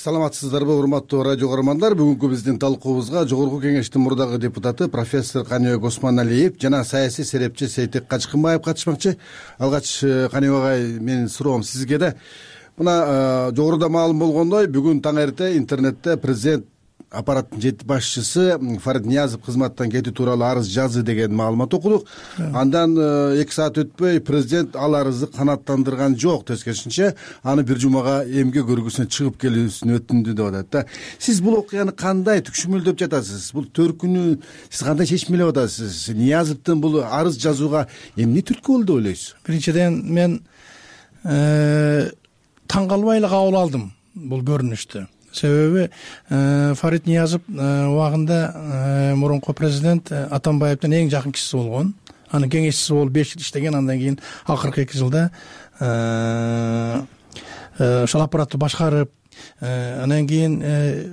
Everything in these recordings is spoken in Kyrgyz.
саламатсыздарбы урматтуу радио көрөрмандар. Бүгүнкү биздин талкуубузга Жогорку Кеңештин мурдагы депутаты профессор Каныбек Осмоналиев жана саясий серепчи Сейтек Качкынбаев катышмакчы. Алгач Каныбек агай, менин суроом сизге да. Мына жогоруда маалым болгондой, бүгүн таң эрте интернетте президент аппараттын жети башчысы Фарид Ниязов кызматтан кетүү тууралуу арыз жазды деген маалымат окудук. Андан 2 саат өтпөй президент ал арызды канааттандырган жок, тескерисинче аны бир жумага эмгек өргүсүнө чыгып келүүсүн өтүндү деп атат. Сиз бул окуяны кандай түкшүмөлдөп жатасыз? Бул төркүнү сиз кандай чечим алып атасыз? Ниязовдун бул арыз жазууга эмне түрткү болду деп ойлойсуз? Биринчиден мен таң калбай эле кабыл алдым бул көрүнүштү. Себеби Фарид Ниязов убагында мурунку президент Атамбаевдин эң жакын кишиси болгон. Анын кеңешчиси болуп 5 жыл иштеген, андан кийин акыркы 2 жылда ошол аппаратты башкарып, андан кийин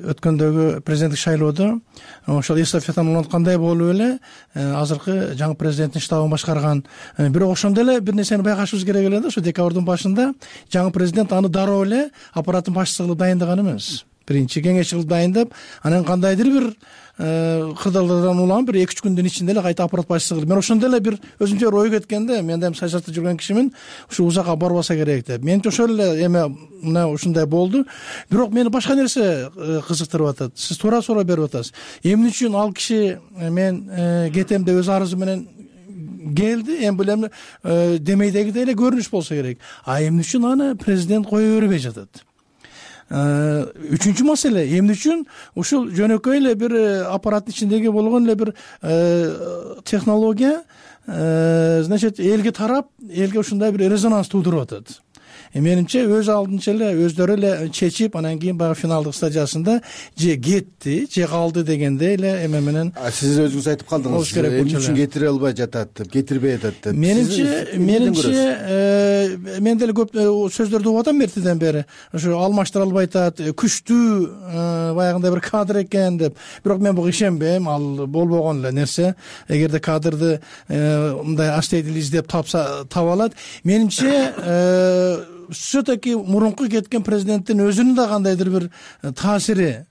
өткөндөгү президенттик шайлоодо ошол эстафетаны уланткандай болуп эле азыркы жаңы президенттин штабын башкарган. Бирок ошондо эле бир нерсени байкашыбыз керек эле да, ошо декабрдын башында жаңы президент аны дароо эле аппараттын башчысы кылып дайындаган эмес. Биринчи кеңешчи кылып дайындап, анан кандайдыр бир кырдаалдардан улам бир 2-3 күндүн ичинде эле кайта аппарат башчысы кылып. Мен ошондо эле бир өзүмчө ой кеткенде, мен да саясатта жүргөн кишимин, ушу узакка барбаса керек деп. Менче ошол эле эме мына ушундай болду. Бирок мени башка нерсе кызыктырып атат. Сиз туура суроо берип атасыз. Эмне үчүн ал киши мен кетем деп өз арызы менен келди, эми бул эми демейдегидей эле көрүнүш болсо керек. А эмне үчүн аны президент кое бербей жатат? Үчүнчү маселе, эмне үчүн ушул жөнөкөй эле бир аппараттын ичиндеги болгон эле бир технология значит элге тарап, элге ушундай бир резонанс туудуруп атат. Менимче өз алдынча эле өздөрү эле чечип, анан кийин баягы финалдык стадиясында же кетти, же калды дегенде эле эме менен. Сиз өзүңүз айтып калдыңыз, эмне үчүн кетире албай жатат деп, кетирбей атат деп. Менимче мен деле көп сөздөрдү угуп атам эртеден бери. Ошо алмаштыра албай атат, күчтүү баягындай бир кадр экен деп. Бирок мен буга ишенбейм, ал болбогон эле нерсе. Эгерде кадрды мындай аштейдил издеп таба алат. Менимче все-таки мурунку кеткен президенттин өзүнүн да кандайдыр бир таасири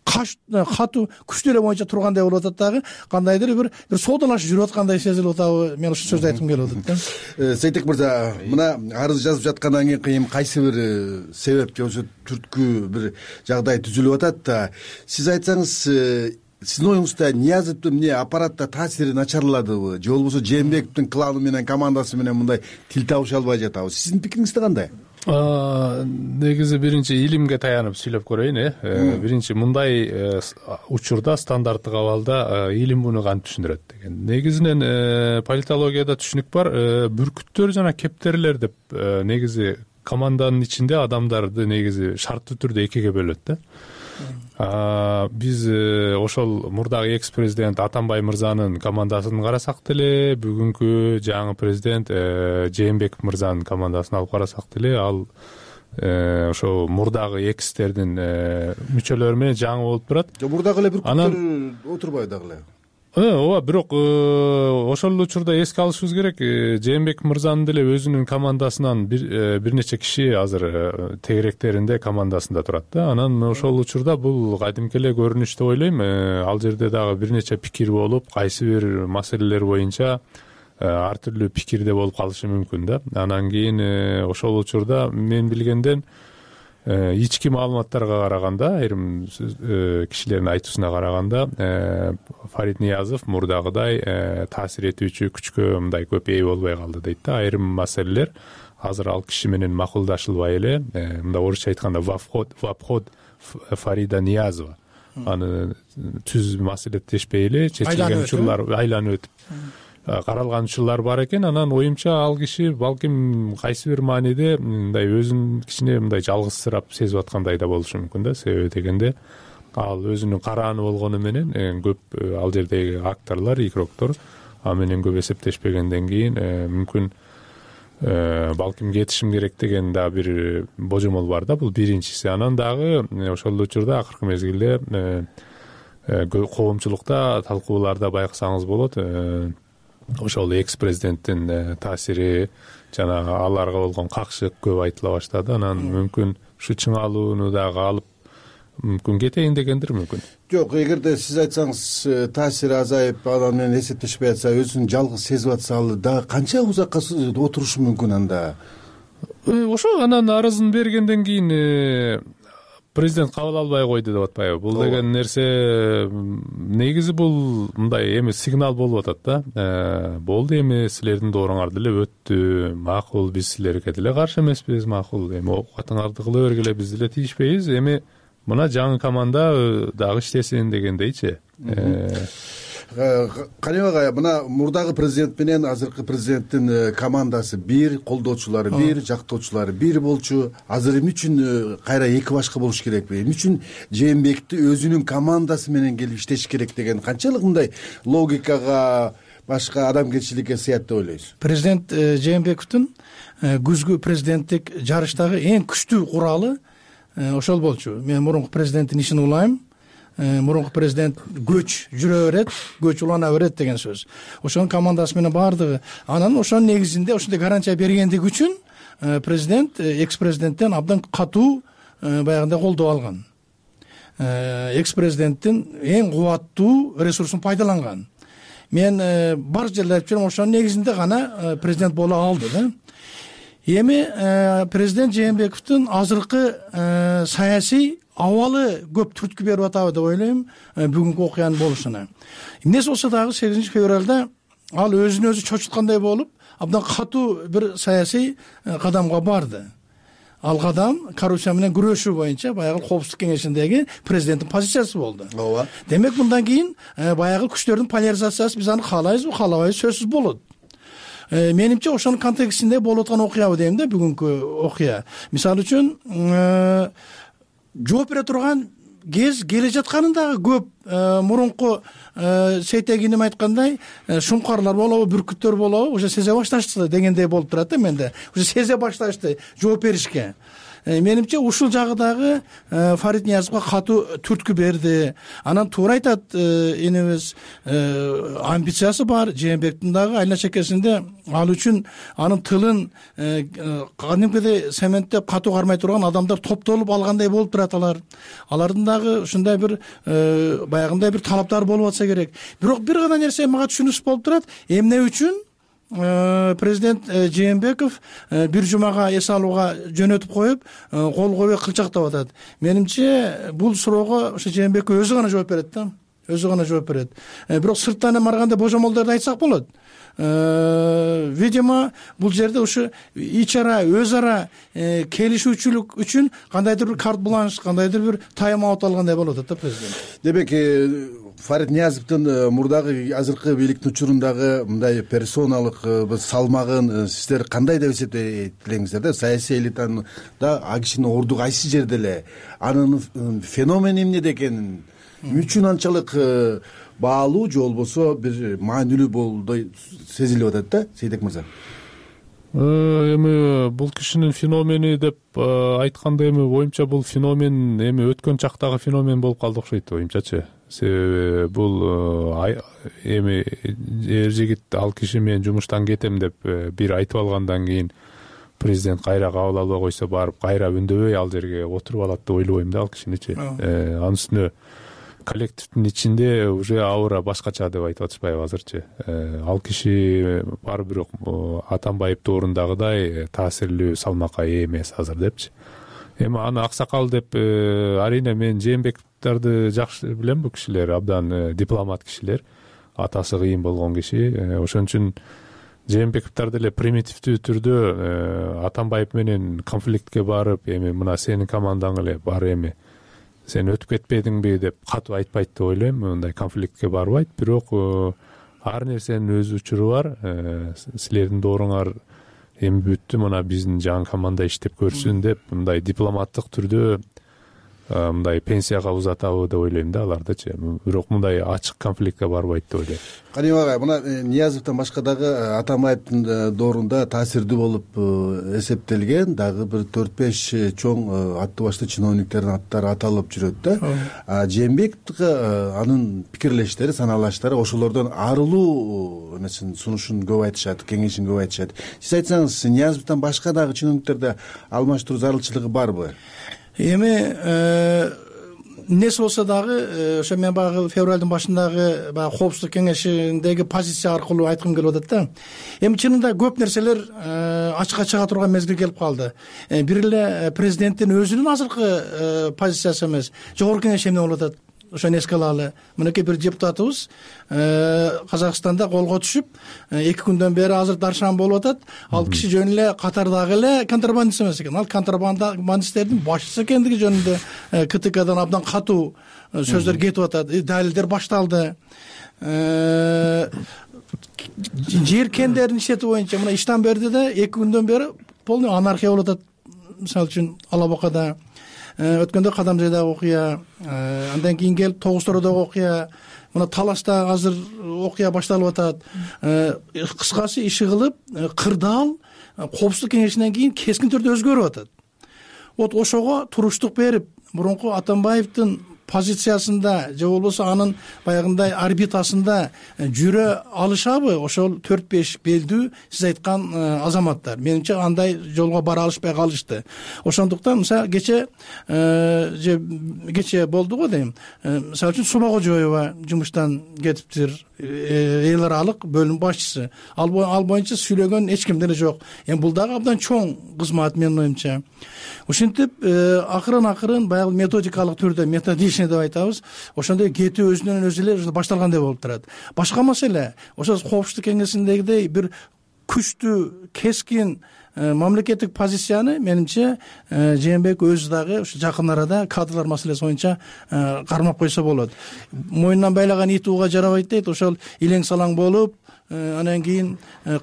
катуу күчтүү эле боюнча тургандай болуп атат дагы, кандайдыр бир соодалашып жүрүп аткандай сезилип атабы? Мен ушул сөздү айткым келип атат да. Сейтек мырза, мына арыз жазып жаткандан кийин кайсы бир себеп же болбосо түрткү бир жагдай түзүлүп атат да, сиз айтсаңыз, сиздин оюңузда Ниязовдун эмне аппаратта таасири начарладыбы, же болбосо Жээнбековдун кланы менен командасы менен мындай тил табыша албай жатабы? Сиздин пикириңизде кандай? Негизи биринчи илимге таянып сүйлөп көрөйүн. Биринчи мындай учурда стандарттык абалда илим муну кантип түшүндүрөт деген. Негизинен политологияда түшүнүк бар, бүркүттөр жана кептерлер деп негизи команданын ичинде адамдарды негизи шарттуу түрдө экиге бөлөт да. Биз ошол мурдагы экс президент Атамбай мырзанын командасын карасак деле, бүгүнкү жаңы президент Жээнбеков мырзанын командасын алып карасак деле, ал ошо мурдагы экстердин мүчөлөрү менен жаңы болуп турат. Мурдагы эле бүркүттөр отурбайбы дагы эле? Ооба, бирок ошол учурда эске алышыбыз керек, Жээнбеков мырзанын деле өзүнүн командасынан бир нече киши азыр тегеректеринде командасында турат да. Анан ошол учурда бул кадимки эле көрүнүш деп ойлойм. Ал жерде дагы бир нече пикир болуп, кайсы бир маселелер боюнча ар түрдүү пикирде болуп калышы мүмкүн да. Анан кийин ошол учурда мен билгенден ички маалыматтарга караганда, айрым кишилердин айтуусуна караганда, Фарид Ниязов мурдагыдай таасир этүүчү күчкө мындай көп ээ болбой калды дейт да. Айрым маселелер азыр ал киши менен макулдашылбай эле, мындай орусча айтканда в обход Фарида Ниязова. Аны түз маселеттешпей эле чечилген учурлар айланып өтүп каралган учурлар бар экен. Анан оюмча ал киши балким кайсы бир мааниде мындай өзүн кичине мындай жалгызсырап сезип аткандай да болушу мүмкүн да. Себеби дегенде ал өзүнүн карааны болгону менен көп ал жердеги акторлор, игроктор ал менен көп эсептешпегенден кийин мүмкүн балким кетишим керек деген да бир божомол бар да. Бул биринчиси. Анан дагы ошол учурда акыркы мезгилде коомчулукта талкууларда байкасаңыз болот, ошол экс президенттин таасири жана аларга болгон какшык көп айтыла баштады. Анан мүмкүн ушу чыңалууну дагы алып мүмкүн кетейин дегендир мүмкүн. Жок, эгерде сиз айтсаңыз таасири азайып анан менен эсептешпей атса, өзүн жалгыз сезип атса, ал дагы канча узакка отурушу мүмкүн анда? Ошо анан арызын бергенден кийин президент кабыл албай койду деп атпайбы? Бул деген нерсе негизи бул мындай эми сигнал болуп атат да. Болду, эми силердин дооруңар деле өттү, макул, биз силерге деле каршы эмеспиз, макул, эми оокатыңарды кыла бергиле, биз деле тийишпейбиз, эми мына жаңы команда дагы иштесин дегендейчи. Каныбек агай, мына мурдагы президент менен азыркы президенттин командасы бир, колдоочулары бир, жактоочулары бир болчу. Азыр эмне үчүн кайра эки башка болуш керекпи? Эмне үчүн Жээнбекти өзүнүн командасы менен келип иштеш керек деген канчалык мындай логикага, башка адамгерчиликке сыят деп ойлойсуз? Президент Жээнбековдун күзгү президенттик жарыштагы эң күчтүү куралы ошол болчу. Мен мурунку президенттин ишин улайм. Мурунку президент көч жүрө берет, көч улана берет деген сөз. Ошонун командасы менен баардыгы. Анан ошонун негизинде ошондой гарантия бергендиги үчүн президент экс-президенттен абдан катуу баягындай колдоо алган. Экс-президенттин эң кубаттуу ресурсун пайдаланган. Мен бар жерде айтып жүрөм, ошонун негизинде гана президент боло алды да. Эми президент Жээнбековдун азыркы саясий абалы көп түрткү берип атабы деп ойлойм бүгүнкү окуянын болушуна. Эмнеси болсо дагы 8 февралда ал өзүн өзү чочуткандай болуп, абдан катуу бир саясий кадамга барды. Ал кадам коррупция менен күрөшүү боюнча баягы Коопсуздук кеңешиндеги президенттин позициясы болду. Ооба. Демек мындан кийин баягы күчтөрдүн поляризациясы биз аны каалайбызбы, каалабайбыз, сөзсүз болот. Менимче ошонун контекстинде болуп аткан окуябы дейм да, бүгүнкү окуя. Мисалы үчүн жооп бере турган кез келе жатканын дагы көп. Мурунку Сейтегиним айткандай, шумкарлар болобу, бүркүттөр болобу, уже сезе башташты дегендей болуп турат да менде. Уже сезе башташты жооп беришке. Менимче ушул жагы дагы Фарид Ниязовго катуу түрткү берди. Анан туура айтат энебиз, амбициясы бар Жээнбектин дагы айна чекесинде, ал үчүн анын тылын кадимкидей цементтеп катуу кармай турган адамдар топтолуп алгандай болуп турат алар. Алардын дагы ушундай бир баягындай бир талаптары болуп атса керек. Бирок бир гана нерсе мага түшүнүксүз болуп турат. Эмне үчүн президент Жээнбеков бир жумага эс алууга жөнөтүп коюп, кол койбой кылчактап атат. Менимче бул суроого ошо Жээнбеков өзү гана жооп берет да. Өзү гана жооп берет. Бирок сырттан барганда божомолдорду айтсак болот. Видимо, бул жерде ушу ич ара, өз ара келишүүчүлүк үчүн кандайдыр бир карт бланш, кандайдыр бир тайм-аут алгандай болуп атат да президент. Демек, Фарид Ниязовдун мурдагы азыркы бийликтин учурундагы мындай персоналык салмагын сиздер кандай деп эсептейсиңер да? Саясий элитада а кишинин орду кайсы жерде эле? Анын феномени эмнеде экенин, эмне үчүн анчалык баалуу же болбосо бир маанилүү болуп сезилип атат да, Сейтек мырза? Эми бул кишинин феномени деп айтканда, эми оюмча бул феномен эми өткөн чактагы феномен болуп калды окшойт оюмчачы. Себеби бул эми эр жигит ал киши мен жумуштан кетем деп бир айтып алгандан кийин президент кайра кабыл албай койсо, барып кайра үндөбөй ал жерге отуруп алат деп ойлобойм да ал кишиничи. Анын үстүнө коллективдин ичинде уже аура башкача деп айтып атышпайбы азырчы. Ал киши бар, бирок Атамбаев доорундагыдай таасирлүү салмакка ээ эмес азыр депчи. Эми аны аксакал деп арийне мен Жээнбековдарды жакшы билем, бул кишилер абдан дипломат кишилер, атасы кыйын болгон киши. Ошон үчүн Жээнбековдор деле примитивдүү түрдө Атамбаев менен конфликтке барып, эми мына сенин командаң эле бар, эми сен өтүп кетпедиңби деп катуу айтпайт деп ойлойм. Мындай конфликтке барбайт, бирок ар нерсенин өз учуру бар. Силердин дооруңар эми бүттү, мына биздин жаңы команда иштеп көрсүн деп мындай дипломаттык түрдө мындай пенсияга узатабы деп ойлойм да алардычы. Бирок мындай ачык конфликтке барбайт деп ойлойм. Каныбек агай, мына Ниязовдон башка дагы Атамбаевдин доорунда таасирдүү болуп эсептелген дагы бир 4-5 чоң аттуу баштуу чиновниктердин аттары аталып жүрөт да. Жээнбековго анын пикирлештери, санаалаштары ошолордон арылуу эмесин сунушун көп айтышат, кеңешин көп айтышат. Сиз айтсаңыз, Ниязовдон башка дагы чиновниктерде алмаштыруу зарылчылыгы барбы? Эми эмнеси болсо дагы ошо мен баягы февралдын башындагы баягы коопсуздук кеңешиндеги позиция аркылуу айткым келип атат да. Эми чынында көп нерселер ачыкка чыга турган мезгил келип калды. Бир эле президенттин өзүнүн азыркы позициясы эмес, жогорку кеңеш эмне болуп атат, ошону эске алалы. Мынакей бир депутатыбыз Казакстанда колго түшүп 2 күндөн бери азыр даршан болуп атат. Ал киши жөн эле катардагы эле контрабандист эмес экен. Ал контрабандисттердин башчысы экендиги жөнүндө КТКдан абдан катуу сөздөр кетип атат. Далилдер башталды. Жер кендерин ишетүү боюнча мына иштан берди да 2 күндөн бери полный анархия болуп атат. Мисалы үчүн Алабакада өткөндө Кадамжайдагы окуя, андан кийин келип Тогуз-Тородогу окуя, мына Талашта азыр окуя башталып атат. Кыскасы иши кылып, кырдаал коопсуздук кеңешинен кийин кескин түрдө өзгөрүп атат. Вот ошого туруштук берип, мурунку Атамбаевдин позициясында же болбосо анын баягындай орбитасында жүрө алышабы ошол 4-5 белдүү сиз айткан азаматтар? Менимче андай жолго бара алышпай калышты. Ошондуктан мисалы кече болду го дейм. Мисалы үчүн Субагожоева жумуштан кетиптир, эл аралык бөлүм башчысы. Ал боюнча сүйлөгөн эч ким деле жок. Эми бул дагы абдан чоң кызмат менин оюмча. Ушинтип акырын баягы методикалык түрдө методичный деп айтабыз. Ошондой кетүү өзүнөн өзү эле башталгандай болуп турат. Башка маселе, ошо коопсуздук кеңесиндегидей бир күчтүү, кескин мамлекеттик позицияны менимче Жээнбек өзү дагы ушу жакын арада кадрлар маселеси боюнча кармап койсо болот. Мойнунан байлаган ит ууга жарабайт дейт. Ошол илең салаң болуп, анан кийин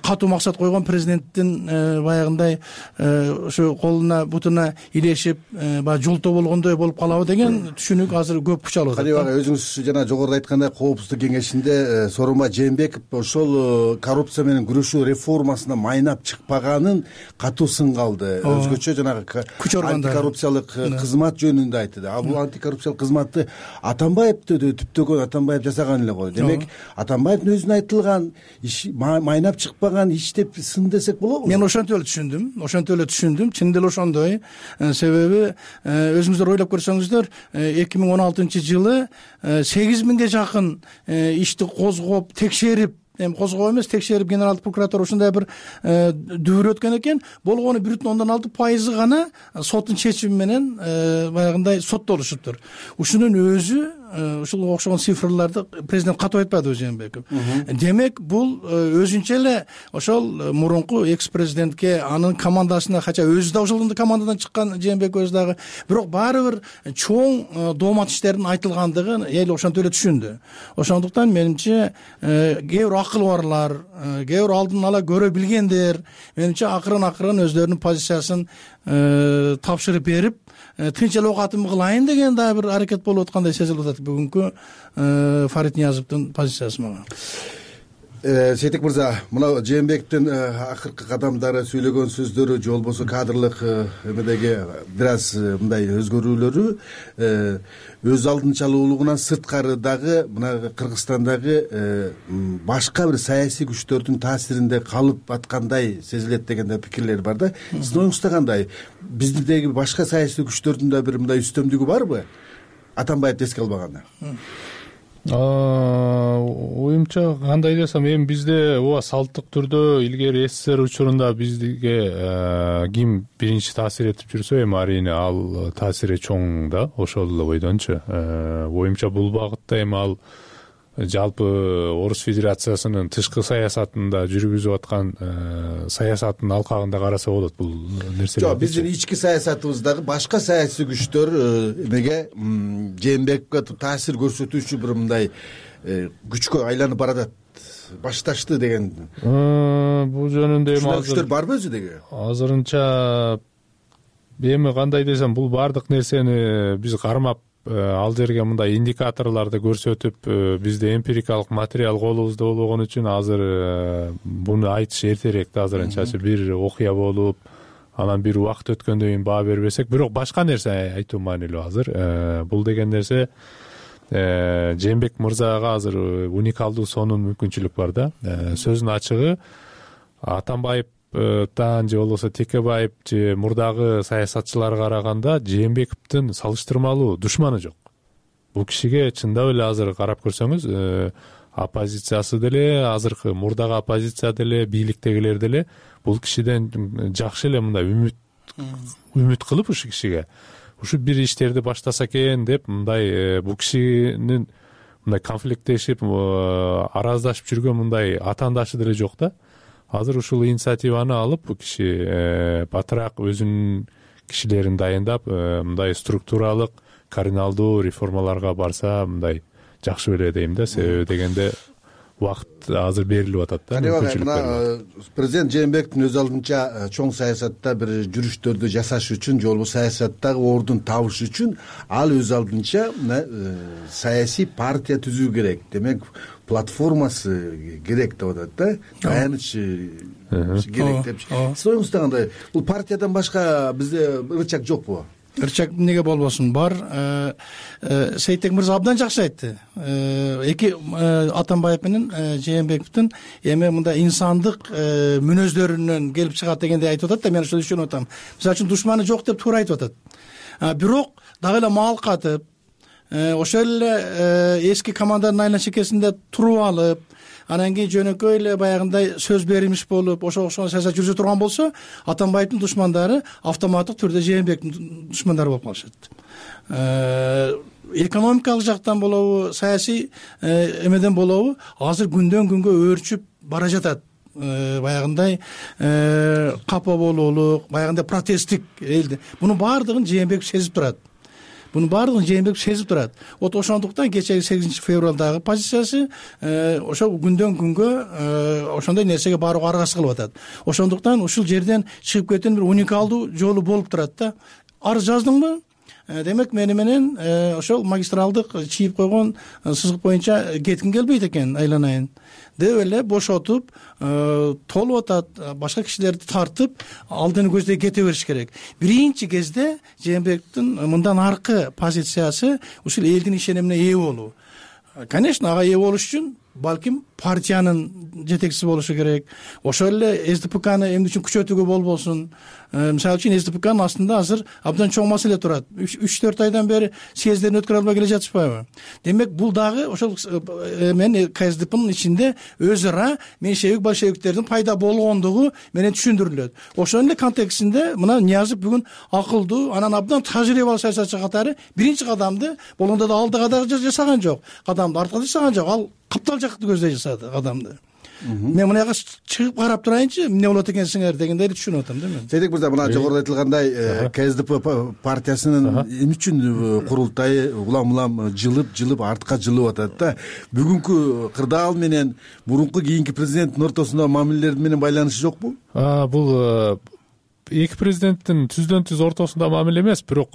катуу максат койгон президенттин баягындай ошо колуна бутуна илешип баягы жолтоо болгондой болуп калабы деген түшүнүк азыр көп күч алып атат. Кадиев ага, өзүңүз жана жогоруда айткандай коопсуздук кеңешинде Сооронбай Жээнбеков ошол коррупция менен күрөшүү реформасына майнап чыкпаганын катуу сынга алды. Өзгөчө жанагы антикоррупциялык кызмат жөнүндө айтты. А бул антикоррупциялык кызматты Атамбаевди түптөгөн Атамбаев жасаган эле го. Демек Атамбаевдин өзүнө айтылган майнап чыкпаган иш деп сын десек болобу? Мен ошентип эле түшүндүм. Чын деле ошондой. Себеби өзүңүздөр ойлоп көрсөңүздөр 2016-жылы 8000ге жакын ишти козгоп, текшерип, эми козгоо эмес, текшерип генералдык прокуратура ушундай бир дүбүр өткөн экен. Болгону 1,6% гана соттун чечими менен баягындай соттолушуптур. Ушунун өзү ушуга окшогон цифрларды президент катуу айтпадыбы Жээнбеков? Демек бул өзүнчө эле ошол мурунку экс-президентке, анын командасына, хотя өзү да ошол командадан чыккан Жээнбек өзү дагы, бирок баары бир чоң доомат иштердин айтылгандыгын эл ошентип эле түшүндү. Ошондуктан менимче кээ бир акыл барлар, кээ бир алдын ала көрө билгендер менимче акырын өздөрүнүн позициясын тапшырып берип, тынч эле окатым кылайын деген дагы бир аракет болуп аткандай сезилип атат бүгүнкү Фарид Ниязовдун позициясы мага. Сейтек мырза, мына Жээнбековдун акыркы кадамдары, сүйлөгөн сөздөрү же болбосо кадрлык эмедеги бир аз мындай өзгөрүүлөрү өз алдынчалуулугунан сырткары дагы мына Кыргызстандагы башка бир саясий күчтөрдүн таасиринде калып аткандай сезилет деген да пикирлер бар да. Сиздин оюңузда кандай? Биздеги башка саясий күчтөрдүн да бир мындай үстөмдүгү барбы? Атамбаевди эске албаганда. Оюмча кандай десем, эми бизде ооба салттык түрдө илгери СССР учурунда бизге ким биринчи таасир этип жүрсө, эми арийне ал таасири чоң да, ошол эле бойдончу. Оюмча бул багытта эми ал жалпы Орус Федерациясынын тышкы саясатында жүргүзүп аткан саясаттын алкагында караса болот бул нерселер. Жок, биздин ички саясатыбыздагы башка саясий күчтөр эмеге Жээнбековго таасир көрсөтүүчү бир мындай күчкө айланып баратат, башташты деген. Бул жөнүндө эми күчтөр барбы өзүдөгү? Азырынча эми кандай десем, бул бардык нерсени биз кармап ал жерге мындай индикаторларды көрсөтүп, бизде эмпирикалык материал колубузда болгон үчүн азыр буну айтыш эртерээк да. Азырынчачы бир окуя болуп, анан бир убакыт өткөндөн кийин баа бербесек, бирок башка нерсе айтуу маанилүү азыр. Бул деген нерсе Жээнбек мырзага азыр уникалдуу сонун мүмкүнчүлүк бар да. Сөздүн ачыгы, Атамбаев Атамбаевтан же болбосо Текебаев же мурдагы саясатчыларга караганда Жээнбековдун салыштырмалуу душманы жок. Бул кишиге чындап эле азыр карап көрсөңүз, оппозициясы деле, азыркы мурдагы оппозиция деле, бийликтегилер деле бул кишиден жакшы эле мындай үмүт кылып ушу кишиге ушу бир иштерди баштаса экен деп мындай бул кишинин мындай конфликттешип, араздашып жүргөн мындай атаандашы деле жок да. Азыр ушул инициативаны алып бул киши батыраак өзүнүн кишилерин дайындап, мындай структуралык, кардиналдуу реформаларга барса мындай жакшы беле дейм да. Себеби дегенде убакыт азыр берилип атат да. Мына президент Жээнбековдун өз алдынча чоң саясатта бир жүрүштөрдү жасаш үчүн же болбосо саясаттагы ордун табыш үчүн ал өз алдынча саясий партия түзүү керек. Демек, платформасы керек деп атат да. Таяныч керек деп. Сиз оюңузда кандай? Бул партиядан башка бизде ырчак жокпу? Ырчак эмнеге болбосун, бар. Сейтек мырза абдан жакшы айтты. Эки Атамбаев менен Жээнбековдун эми мындай инсандык мүнөздөрүнөн келип чыгат дегенди айтып атат да, мен ошону түшүнүп атам. Мисалы үчүн душманы жок деп туура айтып атат. Бирок дагы эле маал катып, ошол эле эски команданын айла чекесинде туруп алып, анан кийин жөнөкөй эле баягындай сөз берилмиш болуп, ошого окшогон саясат жүргүзө турган болсо, Атамбаевдин душмандары автоматтык түрдө Жээнбековдун душмандары болуп калышат. Экономикалык жактан болобу, саясий эмеден болобу, азыр күндөн күнгө өөрчүп бара жатат. Баягындай капа болуулук, баягындай протесттик элди. Мунун баардыгын Жээнбеков сезип турат. Вот ошондуктан кечеги 8 февралдагы позициясы ошо күндөн күнгө ошондой нерсеге барууга аргасыз кылып атат. Ошондуктан ушул жерден чыгып кеткен бир уникалдуу жолу болуп турат да. Арыз жаздыңбы? Демек, мени менен ошол магистралдык чийип койгон сызык боюнча кетким келбейт экен, айланайын деп эле бошотуп, толуп атат, башка кишилерди тартып, алдыны көздөй кете бериш керек. Биринчи кезде Жээнбековдун мындан аркы позициясы ушул элдин ишенимине ээ болуу. Конечно, ага ээ болуш үчүн балким партиянын жетекчиси болушу керек. Ошол эле СДПКны эмне үчүн күчөтүүгө болбосун. Мисалы үчүн СДПКнын астында азыр абдан чоң маселе турат. 3-4 айдан бери съездерин өткөрө албай келе жатышпайбы? Демек, бул дагы ошол мен КСДПнын ичинде өз ара меньшевик большевиктердин пайда болгондугу менен түшүндүрүлөт. Ошонун эле контекстинде мына Ниязов бүгүн акылдуу, анан абдан тажрыйбалуу саясатчы катары биринчи кадамды болгондо да алдыга да жасаган жок. Кадамды артка жасаган жок. Ал каптал жакты көздөй жасады кадамды. Мен мына жака чыгып карап турайынчы, эмне болот экенсиңер дегендейди түшүнүп атам да мен. Сейтек мырза, мына жогоруда айтылгандай КСДП партиясынын эмне үчүн курултайы улам жылып артка жылып атат да. Бүгүнкү кырдаал менен мурунку кийинки президенттин ортосунда мамилелер менен байланышы жокпу? Бул эки президенттин түздөн түз ортосунда мамиле эмес, бирок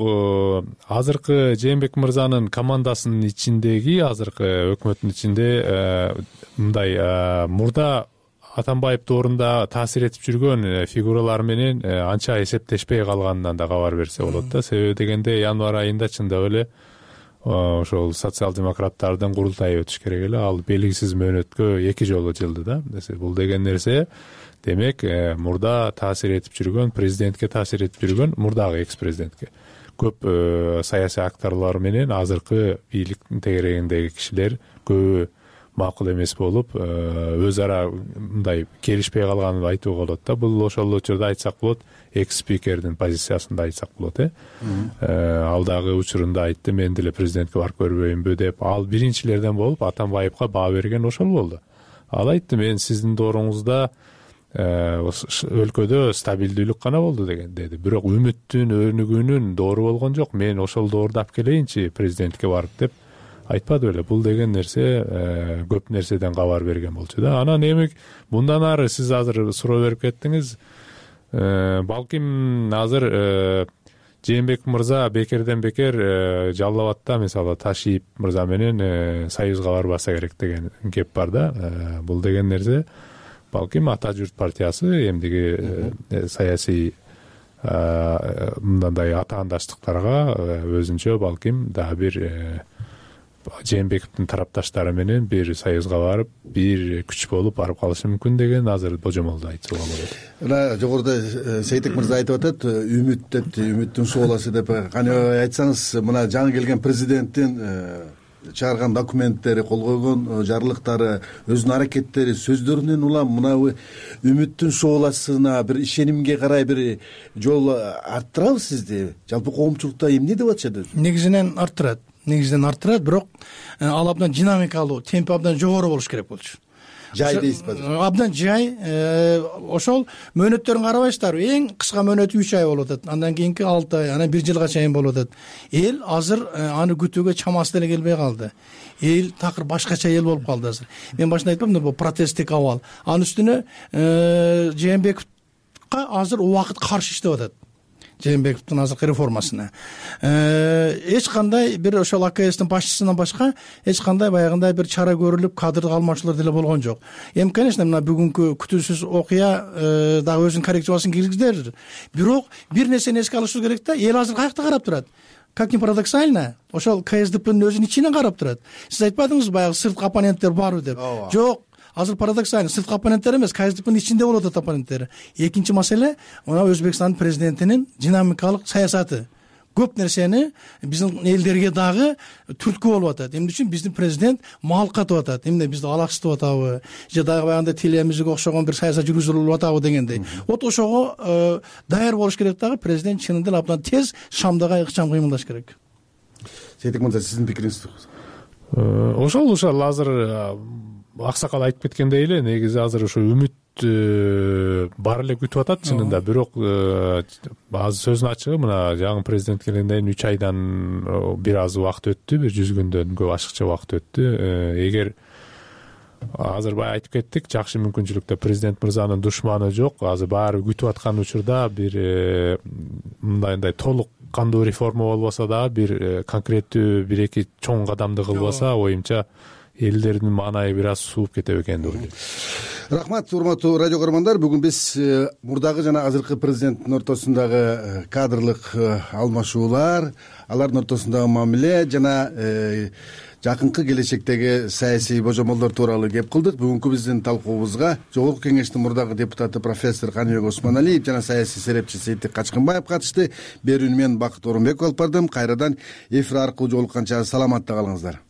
азыркы Жээнбеков мырзанын командасынын ичиндеги, азыркы өкмөттүн ичинде мындай мурда Атамбаев доорунда таасир этип жүргөн фигуралар менен анча эсептешпей калганынан да кабар берсе болот да. Себеби дегенде январь айында чындап эле ошол социал-демократтардын курултайы өтүш керек эле. Ал белгисиз мөөнөткө 2 жолу жылды да. Бул деген нерсе демек, мурда таасир этип жүргөн, президентке таасир этип жүргөн, мурдагы экс-президентке көп саясий акторлор менен азыркы бийликтин тегерегиндеги кишилер көбү макул эмес болуп, өз ара мындай келишпей калганын айтууга болот да. Бул ошол учурда айтсак болот, экс-спикердин позициясында айтсак болот. Ал дагы учурунда айтты, мен деле президентке барып көрбөйүнбү деп. Ал биринчилерден болуп Атамбаевка баа берген ошол болду. Ал айтты, мен сиздин дооруңузда өлкөдө стабилдүүлүк гана болду деген деди. Бирок үмүттүн, өнүгүүнүн доору болгон жок. Мен ошол доорду алып келейинчи президентке барып деп айтпады беле. Бул деген нерсе көп нерседен кабар берген болчу да. Анан эми мындан ары сиз азыр суроо берип кеттиңиз. Балким азыр Жээнбеков мырза бекерден бекер Жалал абадта мисалы Ташиев мырза менен союзга барбаса керек деген кеп бар да. Бул деген нерсе балким Ата журт партиясы эмдиги саясий мындай атаандаштыктарга өзүнчө балким дагы бир Жээнбековдун тарапташтары менен бир союзга барып бир күч болуп барып калышы мүмкүн деген азыр божомолду айтууга болот. Мына жогоруда Сейтек мырза айтып атат, үмүт деп, үмүттүн шооласы деп. Кане айтсаңыз, мына жаңы келген президенттин чыгарган документтери, кол койгон жарлыктары, өзүнүн аракеттери, сөздөрүнөн улам мына үмүттүн шооласына бир ишенимге карай бир жол арттырабы сизди? Жалпы коомчулукта эмне деп атышат өзү? Негизинен арттырат, бирок ал абдан динамикалуу, темпи абдан жогору болуш керек болчу. Жай дейсизби? Абдан жай. Ошол мөөнөттөрүн карабайсыздарбы? Эң кыска мөөнөтү 3 ай болуп атат. Андан кийинки 6 ай, анан 1 жылга чейин болуп атат. Эл азыр аны күтүүгө чамасы деле келбей калды. Эл такыр башкача эл болуп калды азыр. Мен башында айтпамдымбы, бул протесттик абал. Анын үстүнө Жээнбековго азыр убакыт каршы иштеп атат. Жээнбековдун азыркы реформасына эч кандай бир ошол АКСтин башчысынан башка эч кандай баягындай бир чара көрүлүп, кадрдык алмашуулар деле болгон жок. Эми, конечно, мына бүгүнкү күтүүсүз окуя дагы өзүнүн коррекциясын киргизди. Бирок бир нерсени эске алышыбыз керек да, эл азыр каякта карап турат. Как ни парадоксально, ошол КСДПнын өзүнүн ичинен карап турат. Сиз айтпадыңызбы, баягы сырткы оппоненттер барбы деп? Жок. Азыр парадоксально, сырткы оппоненттер эмес, КСДПнын ичинде болуп атат оппоненттери. Экинчи маселе, мына Өзбекстандын президентинин динамикалык саясаты. Көп нерсени биздин элдерге дагы түрткү болуп атат. Эмне үчүн биздин президент мал катып атат? Эмне бизди алаксытып атабы? Же дагы баягындай тилемизге окшогон бир саясат жүргүзүлүп атабы дегендей. Вот ошого даяр болуш керек дагы, президент чынында эле абдан тез Шамдага ыкчам кыймылдаш керек. Сейтек мырза, сиздин пикириңиз? Ошол азыр аксакал айтып кеткендей эле, негизи азыр ошо үмүт бар эле күтүп атат чынында. Бирок азыр сөздүн ачыгы, мына жаңы президент келгенден кийин 3 айдан бир аз убакыт өттү, бир 100 күндөн көп ашыкча убакыт өттү. Эгер азыр баягы айтып кеттик, жакшы мүмкүнчүлүктө президент мырзанын душманы жок. Азыр баары күтүп аткан учурда бир мындайдай толук кандуу реформа болбосо дагы бир конкреттүү 1-2 чоң кадамды кылбаса, оюмча элдердин маанайы бир аз сууп кетет экен деп ойлойм. Рахмат, урматтуу радио көрөрмандар. Бүгүн биз мурдагы жана азыркы президенттин ортосундагы кадрлык алмашуулар, алардын ортосундагы мамиле жана жакынкы келечектеги саясий божомолдор тууралуу кеп кылдык. Бүгүнкү биздин талкуубузга Жогорку Кеңештин мурдагы депутаты профессор Каныбек Осмоналиев жана саясий серепчи Сейтек Качкынбаев катышты. Берүүнү мен Бакыт Орунбеков алып бардым. Кайрадан эфир аркылуу жолукканча саламатта калыңыздар.